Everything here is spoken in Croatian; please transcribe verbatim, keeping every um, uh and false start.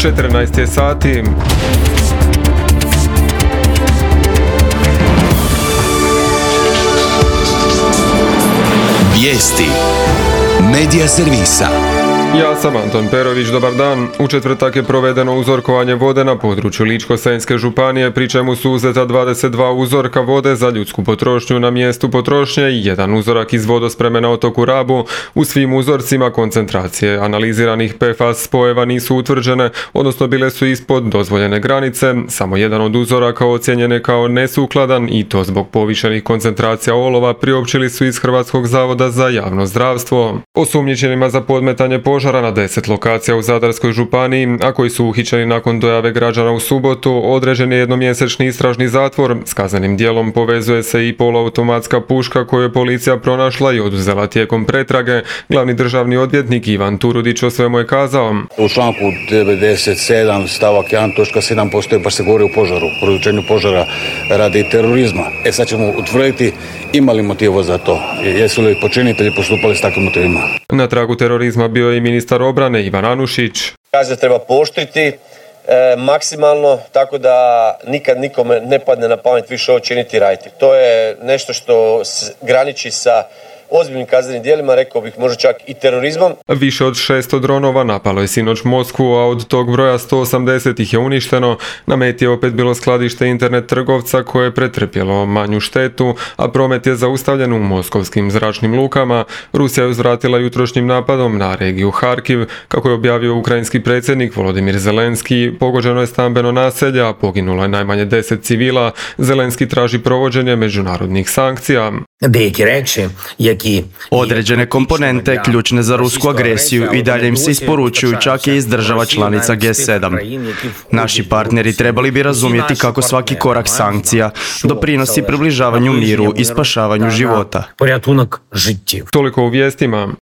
četrnaest je sati. Vijesti Medija servisa. Ja sam Anton Perović, dobar dan. U četvrtak je provedeno uzorkovanje vode na području Ličko-senjske županije, pri čemu su uzeta dvadeset dva uzorka vode za ljudsku potrošnju na mjestu potrošnje i jedan uzorak iz vodospreme na otoku Rabu. U svim uzorcima koncentracije analiziranih P F A S spojeva nisu utvrđene, odnosno bile su ispod dozvoljene granice. Samo jedan od uzoraka ocijenjen je kao nesukladan i to zbog povišenih koncentracija olova, priopćili su iz Hrvatskog zavoda za javno zdravstvo. Osumnjičenima za podmetanje požara na deset lokacija u Zadarskoj županiji, a koji su uhićeni nakon dojave građana u subotu, određen je jednomjesečni istražni zatvor. S kaznenim djelom povezuje se i poluautomatska puška koju je policija pronašla i oduzela tijekom pretrage. Glavni državni odvjetnik Ivan Turudić o svemu je kazao: U članku devedeset sedam stavak jedan točka sedam postoji, baš se govori o požaru, produčenju požara radi terorizma. E sad ćemo utvrditi ima li motiva za to, jesu li počinitelji postupali s takvim motivima. Na tragu terorizma bio je i ministar obrane Ivan Anušić. Kazne treba pooštriti e, maksimalno, tako da nikad nikome ne padne na pamet više ovo činiti i raditi. To je nešto što graniči sa ozbiljnim kaznenim djelima, rekao bih možda čak i terorizmom. Više od šesto dronova napalo je sinoć Moskvu, a od tog broja sto osamdeset ih je uništeno. Na meti je opet bilo skladište internet trgovca koje je pretrpjelo manju štetu, a promet je zaustavljen u moskovskim zračnim lukama. Rusija je uzvratila jutrošnjim napadom na regiju Harkiv. Kako je objavio ukrajinski predsjednik Volodimir Zelenski, pogođeno je stambeno naselje, a poginulo je najmanje deset civila. Zelenski traži provođenje međunarodnih sankcija. Određene komponente ključne za rusku agresiju i dalje im se isporučuju čak i iz država članica G sedam. Naši partneri trebali bi razumjeti kako svaki korak sankcija doprinosi približavanju miru i spašavanju života. Toliko u vijestima.